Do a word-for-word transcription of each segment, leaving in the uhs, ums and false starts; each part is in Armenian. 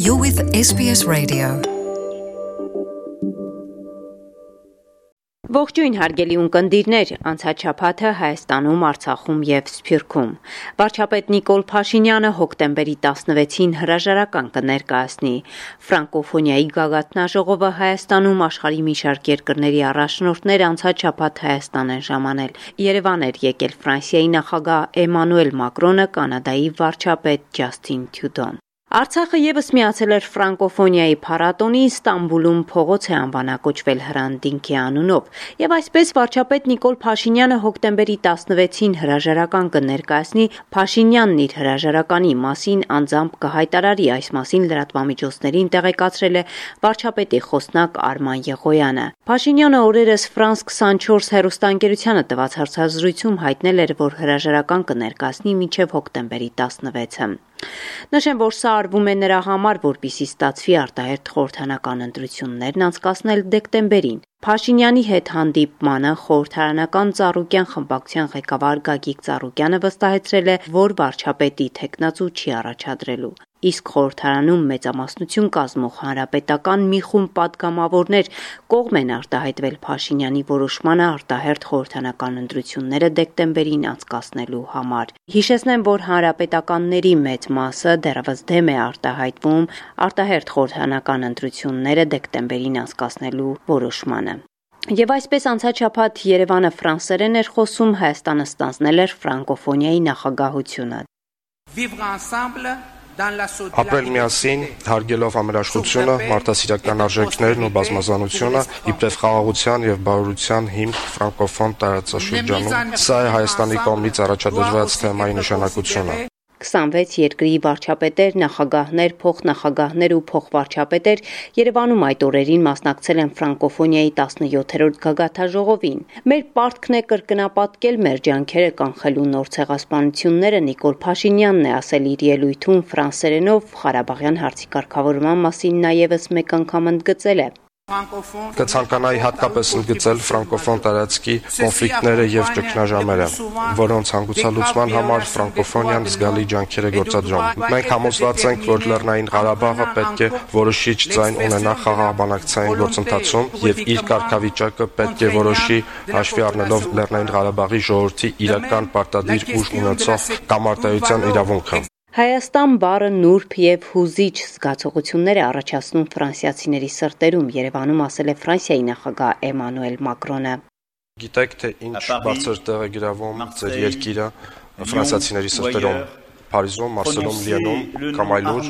You're with S B S Radio. Ողջույն հարգելի ունկնդիրներ, անցած շաբաթը Հայաստանում, Արցախում եւ Սփյուռքում վարչապետ Նիկոլ Փաշինյանը հոկտեմբերի տասնվեցին հրաժարական կներկայացնի։ Ֆրանկոֆոնիայի գագաթնաժողովը Հայաստանում աշխարհի մի շարք երկրների առաջնորդներ անցած շաբաթ Հայաստան են ժամանել։ Երևան էր եկել Ֆրանսիայի նախագահ Էմանուել Մակրոնը, Կանադայի վարչապետ Ջասթին Թյուդոն։ Արցախը եւս միացել էր ֆրանկոֆոնիայի փառատոնի, Ստամբուլում փողոց է անվանակոչվել Հրանտ-Դինքի անունով, եւ այսպես վարչապետ Նիկոլ Փաշինյանը հոկտեմբերի տասնվեցին հրաժարական կներկայացնի։ Փաշինյանն իր հրաժարականի մասին անձամբ կհայտարարի, այս մասին լրատվամիջոցներին տեղեկացրել է վարչապետի խոսնակ Արման Եղոյանը։ Փաշինյանը օրերս Ֆրանս քսանչորս հեռուստաընկերությանը տված հարցազրույցում հայտնել էր, որ հրաժարական կներկայացնի մինչև հոկտեմբերի տասնվեցը։ Նշեմ, որ սա արվում է նրա համար, որպեսզի ստացվի արտահերթ խորհրդարանական ընտրություններն անցկացնել դեկտեմբերին։ Փաշինյանի հետ հանդիպմանը խորհրդարանական Ծառուկյան խմբակցության ղեկավար Գագիկ Ծառուկյանը վստահեցրել է, որ վարչապետի թեկնածու չի առաջադրելու։ Իսկ խորհրդարանում մեծամասնություն կազմող հանրապետական մի խումբ պատգամավորներ կողմ են արտահայտվել Փաշինյանի որոշմանը արտահերթ խորհրդարանական ընտրությունները դեկտեմբերին անցկացնելու համար։ Հիշեցնեմ, որ հանրապետականների մեծ մասը դեռևս դեմ է արտահայտվում արտահերթ խորհրդարանական ընտրությունները դեկտեմբերին անցկացնելու որոշմանը։ Եվ այսպես անցած շաբաթ Երևանը ֆրանսերեն էր խոսում, Հայաստանը ստանձնել էր ֆրանկոֆոնիայի նախագահությունը։ Ապրել միասին, հարգելով համերաշխությունը, մարդասիրական արժեքներն ու բազմազանությունը, իբրև խաղաղության եւ բարօրության հիմք ֆրանկոֆոն տարածաշրջանում։ Սա է Հայաստանի կողմից առաջադրված թեմայի նշանակությունը։ քսանվեց երկրի վարչապետեր, նախագահներ, փոխնախագահներ ու փոխվարչապետեր Երևանում այդ օրերին մասնակցել են ֆրանկոֆոնիայի տասնյոթերորդ գագաթնաժողովին։ Մեր պարտքն է կրկնապատկել մեր ջանքերը կանխելու նոր ցեղասպանությունները, Նիկոլ Փաշինյանն է ասել իր ելույթում ֆրանսերենով Ղարաբաղյան հարցի կարգավորման մասին նաև մեկ անգամ ընդգծել է։ Կցանկանայի հատկապես ընդգծել ֆրանկոֆոն տարածքի կոնֆլիկտները եւ ճգնաժամերը, որոնց հանգուցալուծման համար ֆրանկոֆոնիան զգալի ջանքեր է գործադրում։ Մենք համոզված ենք, որ Լեռնային Ղարաբաղը պետք է որոշիչ ձայն ունենա խաղաղ բանակցային գործընթացում եւ իր կարգավիճակը պետք է որոշի հաշվի առնելով Լեռնային Ղարաբաղի ժողովրդի իրական պարտադիր ուժ ունեցող կամարտայության իրավունքը։ Հայաստան բառը նուրբ եւ հուզիչ զգացողություններ է առաջացնում ֆրանսիացիների սրտերում, Երևանում ասել է Ֆրանսիայի նախագահ Էմանուել Մակրոնը։ Գիտեք, թե ինչ բարձր տեղ է գրավում ձեր երկիրը ֆրանսիացիների սրտերում, Փարիզում, Մարսելում, Լիենում կամ այլուր։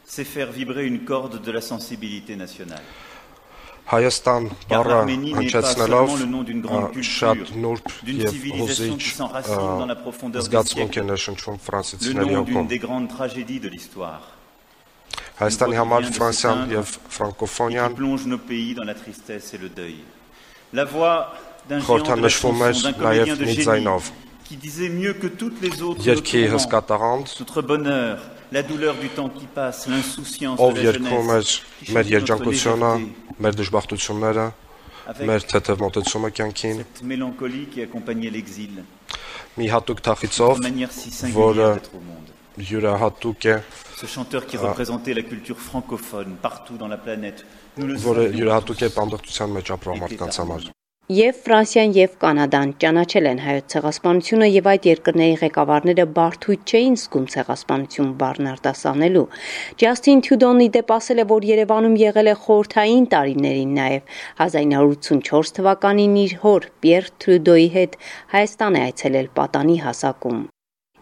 C'est faire vibrer une corde de la sensibilité nationale. Հայաստան բառը հնչեցնելով շատ նուրբ եւ հուզիչ զգացմունք է ներշնչվում ֆրանսիացիների հոգում։ Հայաստանի համար Ֆրանսիան եւ ֆրանկոֆոնիան խորհրդանշվում էր նաեւ մի ձայնով։ Երգի հսկա տաղանդ La douleur du temps qui passe, l'insouciance de la jeunesse, մեր երջանկությունը, մեր դժբախտությունները, մեր թեթև մոտեցումը կյանքին, cette mélancolie qui accompagnait l'exil, մի հատուկ թախիցով, որը յուրահատուկ է, ce chanteur qui représentait la culture francophone partout dans la planète, nous le որը յուրահատուկ է բանդախտության մեջ ապրող մարդկանց համար։ Եվ Ֆրանսիան եւ Կանադան ճանաչել են հայոց ցեղասպանությունը եւ այդ երկրների ղեկավարները բարդույթ չէին զգում ցեղասպանություն բառն արտասանելու։ Ջասթին Թյուդոնի դեպ ասել է, որ Երևանում եղել է խորհրդային տարիներին նաեւ հազար ինը հարյուր ութսունչորս թվականին իր հոր Պիեր Տրյուդոյի հետ Հայաստան է այցելել պատանի հասակում։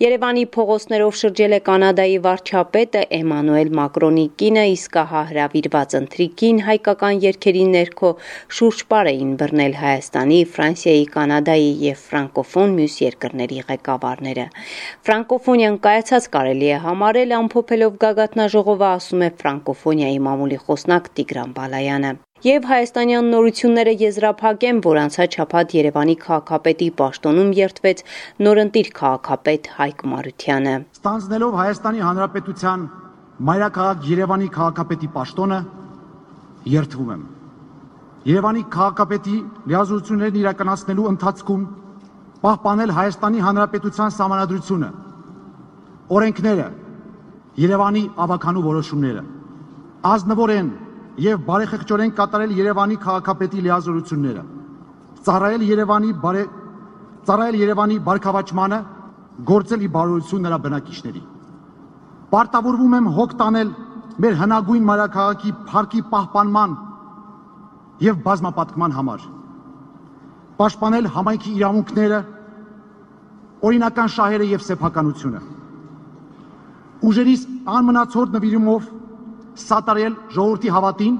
Երևանի փողոցներով շրջել է Կանադայի վարչապետը Էմանուել Մակրոնի կինը, իսկ ահա հրավիրված ընթրիքին հայկական երգերի ներքո շուրջպար էին բռնել Հայաստանի, Ֆրանսիայի, Կանադայի եւ ֆրանկոֆոն մյուս երկրների ղեկավարները։ Ֆրանկոֆոնիան կայացած կարելի է համարել ամփոփելով գագաթնաժողովը, ասում է ֆրանկոֆոնիայի մամուլի խոսնակ Տիգրան Բալայանը։ Եվ հայաստանյան նորությունները եզրափակեմ, որ անցած շաբաթ Երևանի քաղաքապետի պաշտոնում երդվեց նորընտիր քաղաքապետ Հայկ Մարությանը։ Ստանձնելով Հայաստանի Հանրապետության մայրաքաղաք Երևանի քաղաքապետի պաշտոնը երդվում եմ։ Երևանի քաղաքապետի լիազորություններն իրականացնելու ընթացքում պահպանել Հայաստանի Հանրապետության սահմանադրությունը, օրենքները, Երևանի ավականու որոշումները, ազնվորեն եւ բարեխղճորեն կատարել Երևանի քաղաքապետի լիազորությունները, ծառայել Երևանի բարե ծառայել Երևանի բարգավաճմանը, գործել ի բարօրություն նրա բնակիչների։ Պարտավորվում եմ հոգ տանել մեր հնագույն մայրաքաղաքի փառքի պահպանման եւ բազմապատկման համար, պաշտպանել համայնքի իրավունքները, օրինական շահերը եւ սեփականությունը, ուժերիս անմնացորդ նվիրումով սատարել ժողովրդի հավատին,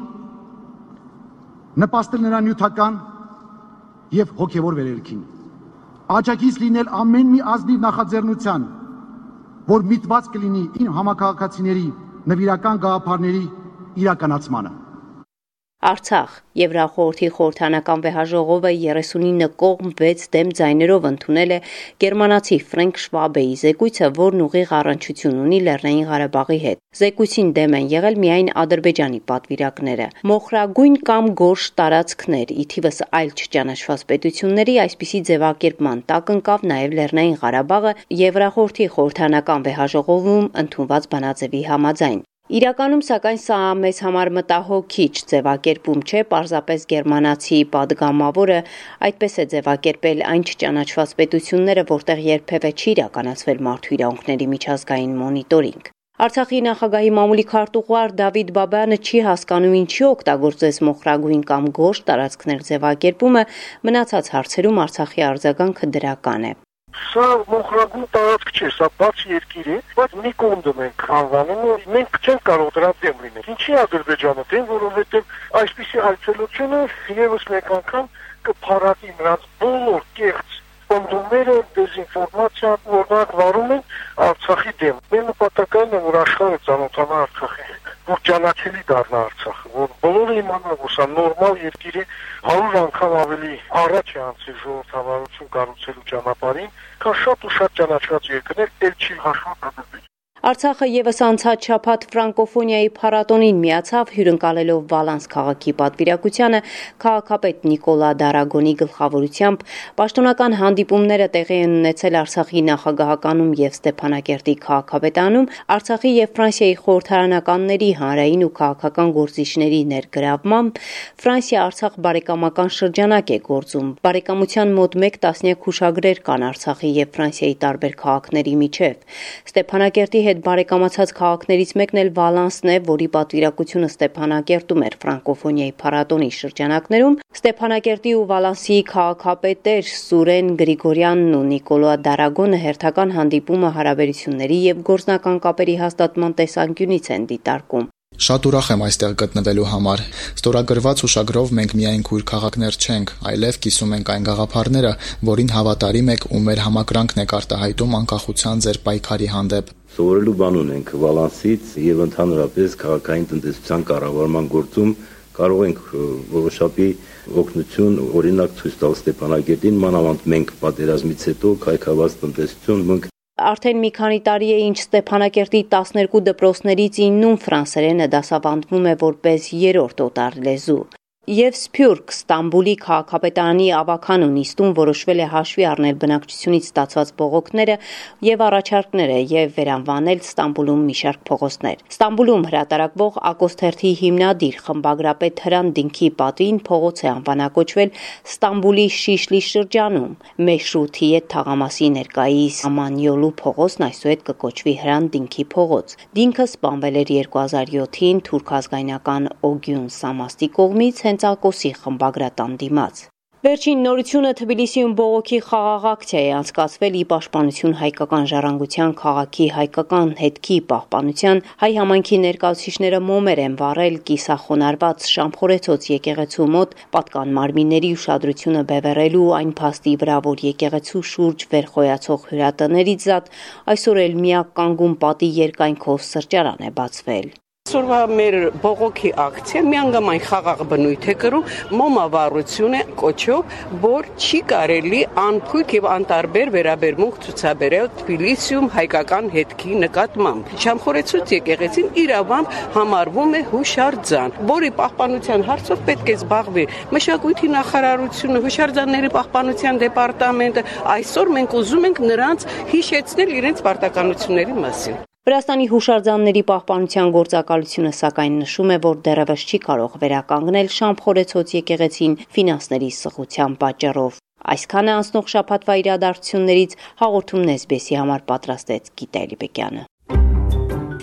նպաստել նրա նյութական եւ հոգեվոր վերելքին, աջակից լինել ամեն մի ազնիվ նախաձեռնության, որ միտված կլինի իմ համակարգացիների նվիրական գաղափարների իրականացմանը։ Արցախ Եվրախորհրդի խորհրդանական վեհաժողովը երեսունինը կողմ վեց դեմ ձայներով ընդունել է գերմանացի Ֆրենկ Շվաբեի զեկույցը, որն ուղիղ առնչություն ունի Լեռնային Ղարաբաղի հետ։ Զեկույցին դեմ են եղել միայն Ադրբեջանի պատվիրակները։ Մոխրագույն կամ գորշ տարածքներ, ի թիվս այլ չճանաչված պետությունների այսպիսի ձևակերպման տակ ընկավ նաև Լեռնային Ղարաբաղը Եվրախորհրդի խորհրդանական վեհաժողովում ընդունված բանաձևի համաձայն։ Իրականում, սակայն, սա մեզ համար մտահոգիչ ձևակերպում չէ, պարզապես գերմանացի падգամավորը այդպես է ձևակերպել այն չճանաչված պետությունները, որտեղ երբևէ չի իրականացվել մարդու իրավունքների միջազգային մոնիտորինգ։ Արցախի նախագահի մամուլի քարտուղար Դավիթ Բաբայանը չի հասկանում ինչի օգտագործեց մոխրագույն կամ գորշ տարածքներ ձևակերպումը, մնացած հարցերում Արցախի արձագանքը դրական է։ Սա մոխրագույն տարածք չէ, սա բաց երկիր է, բայց մի կոնդը մենք անվանում ու մենք չենք կարող դրա դեմ լինել։ Ինչի Ադրբեջանը դեմ, որովհետև այսպիսի այցելությունը եւս մեկ անգամ կփառատի նրանց բոլոր կեղծ կոնդումները, դեզինֆորմացիան, որոնք վարում են Արցախի դեմ։ Մեր նպատակն է, որ աշխարհը ծանոթանա Արցախի հետ, որ ճանաչելի դառնա Արցախը, որ բոլորը իմանան, որ սա նորմալ երկիր է, հարյուր անգամ ավելի առաջ է անցել ժողովրդավարություն կառուցելու ճանապարհին, քան շատ ու շատ ճանաչված երկրներ, ել չի հաշվում Ադրբեջանը։ Արցախը եւս անցած շաբաթ ֆրանկոֆոնիայի փառատոնին միացավ, հյուրընկալելով Վալանս քաղաքի պատվիրակությանը քաղաքապետ Նիկոլա Դարագոնի գլխավորությամբ։ Պաշտոնական հանդիպումները տեղի են ունեցել Արցախի նախագահականում եւ Ստեփանակերտի քաղաքապետանում, Արցախի եւ Ֆրանսիայի խորհրդարանականների հանրային ու քաղաքական գործիչների ներգրավմամբ Ֆրանսիա-Արցախ բարեկամական շրջանակ է գործում։ Բարեկամության մոտ մեկ տասնյակ հուշագրեր կան Արցախի եւ Ֆրանսիայի տարբեր քաղաքների միջև։ Ստեփանակերտի հետ բարեկամացած քաղաքներից մեկն էլ Վալանսն է, որի պատվիրակությունը Ստեփանակերտում էր ֆրանկոֆոնիայի փառատոնի շրջանակներում։ Ստեփանակերտի ու Վալանսի քաղաքապետեր Սուրեն Գրիգորյանն ու Նիկոլա Դարագոնը հերթական հանդիպումը հարաբերությունների եւ գործնական կապերի հաստատման տեսանկյունից են դիտարկում։ Շատ ուրախ եմ այստեղ գտնվելու համար։ Ստորագրված հուշագրով մենք միայն քույր քաղաքներ չենք, այլև կիսում ենք այն գաղափարները, որին հավատարիմ եք ու մեր համակրանքն եք արտահայտում անկախության ձեր պայքարի հանդեպ։ Սովորելու բան ունենք Վալանսից եւ ընդհանրապես քաղաքային տնտեսության կառավարման գործում կարող ենք որոշակի օգնություն, օրինակ ցույց տալ Ստեփանակերտին, մանավանդ մենք պատերազմից հետո քայքավաց տնտեսություն ունենք։ Արդեն մի քանի տարի է ինչ Ստեփանակերտի տասներկու դպրոցներից իննում ֆրանսերենը դասավանդվում է որպես երրորդ օտար լեզու։ Եվ Սփյուռք Ստամբուլի քաղաքապետարանի ավականու նիստում որոշվել է հաշվի առնել բնակչությունից ստացված բողոքները եւ առաջարկները եւ վերանվանել Ստամբուլում մի շարք փողոցներ։ Ստամբուլում հրատարակվող Ակոսթերթի հիմնադիր խմբագրապետ Հրան Դինքի պատվին փողոց է անվանակոչվել Ստամբուլի Շիշլի շրջանում։ Մեշրութիետ թաղամասի ներկայիս Ամանյոլու փողոցն այսուհետ կկոչվի Հրան Դինքի փողոց։ Դինքը սպանվել էր երկու հազար յոթին թուրք ազգայնական Օգյուն Սամաստի կողմից հենց Ակոսի խմբագրատան դիմաց։ Վերջին նորությունը Թբիլիսիում բողոքի խաղաղ ակցիա է անցկացվել ի պաշտպանություն հայկական ժառանգության քաղաքի հայկական հետքի պահպանության։ Հայ համայնքի ներկայացուցիչները մոմեր են վառել կիսախոնարհված Շամփորեցոց եկեղեցու մոտ պատկան մարմինների ուշադրությունը բևեռելու այն փաստի վրա, որ եկեղեցու շուրջ վերխոյացող հյուրատներից զատ այսօր էլ միակ կանգուն պատի երկայնքով սրճարան է բացվել։ Այսօրվա մեր բողոքի ակցիա միանգամայն խաղաղ բնույթ է կրում, մոմավառություն է կոչով, որ չի կարելի անփույթ եւ անտարբեր վերաբերմունք ցուցաբերել Թբիլիսիում հայկական հետքի նկատմամբ։ Շամխորեցուց եկեղեցին իրավամբ համարվում է հուշարձան, որի պահպանության հարցով պետք է զբաղվի մշակույթի նախարարությունը, հուշարձանների պահպանության դեպարտամենտը։ Այսօր մենք ուզում ենք նրանց հիշեցնել իրենց պարտականությունների մասին։ Վրաստանի հուշարձանների պահպանության գործակալությունը սակայն նշում է, որ դեռևս չի կարող վերականգնել Շամփորեցոց եկեղեցին ֆինանսների սղության պատճառով։ Այսքանը անցնող շաբաթվա իրադարձություններից հաղորդումն էս բի էսի համար պատրաստեց Գիտա Էլիբեկյանը։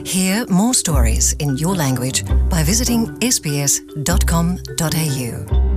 Hear more stories in your language by visiting s b s dot com dot a u.